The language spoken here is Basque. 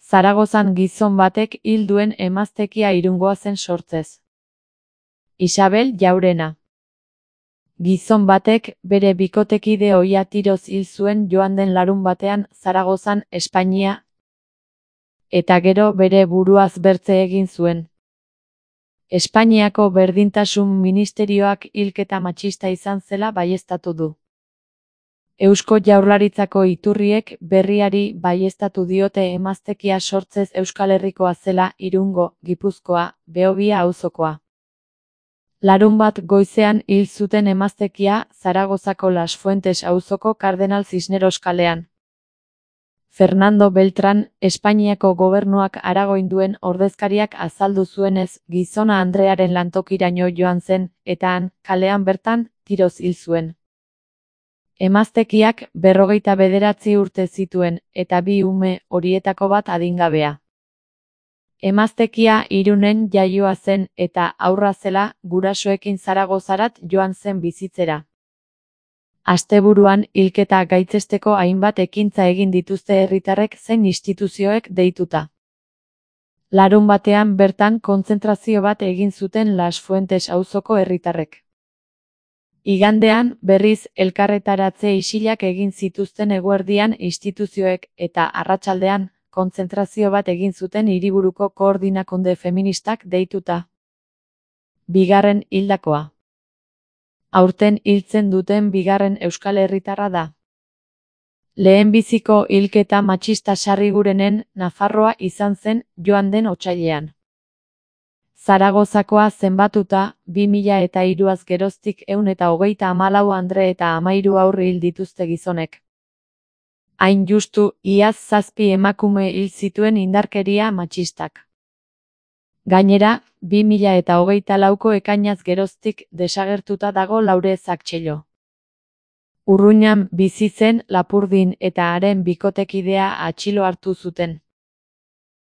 Zaragozan gizon batek hil duen emaztekia Irungoa zen sortzez. Isabel Jaurena. Gizon batek bere bikotekide ohia tiroz hil zuen joan den larunbatean Zaragozan, Espainia, eta gero bere buruaz bertze egin zuen. Espainiako Berdintasun Ministerioak hilketa matxista izan zela baieztatu du. Eusko Jaurlaritzako iturriek berriari baieztatu diote emaztekia sortzez Euskal Herrikoa zela, Irungo, Gipuzkoa, Behobia auzokoa. Larunbat goizean hil zuten emaztekia Zaragozako Las Fuentes auzoko Kardenal Cisneros kalean. Fernando Beltrán, Espainiako gobernuak aragoinduen ordezkariak azaldu zuenez, gizona andrearen lantokiraino joan zen, eta han, kalean bertan, tiroz hil zuen. Emaztekiak 59 urte zituen, eta 2 ume, horietako bat adingabea. Emaztekia Irunen jaioa zen, eta haurra zela, gurasoekin Zaragozarat joan zen bizitzera. Asteburuan hilketa gaitzesteko hainbat ekintza egin dituzte herritarrek zein instituzioek deituta. Larunbatean bertan kontzentrazio bat egin zuten Las Fuentes auzoko herritarrek. Igandean, berriz, elkarretaratze isilak egin zituzten eguerdian instituzioek, eta arratsaldean, kontzentrazio bat egin zuten hiriburuko koordinakunde feministak deituta. Bigarren hildakoa. Aurten hiltzen duten bigarren euskal herritarra da. Lehenbiziko hilketa matxista sarrigurenen Nafarroa izan zen joan den otsailean. Zaragozakoa zenbatuta, 2003az geroztik 134 andre eta 13 haur hil dituzte gizonek. Hain justu, iaz 7 emakume hil zituen indarkeria matxistak. Gainera, 2024ko ekainaz geroztik desagertuta dago Laure Zaktxello. Urruñan bizi zen Lapurdin eta haren bikotekidea atxilo hartu zuten.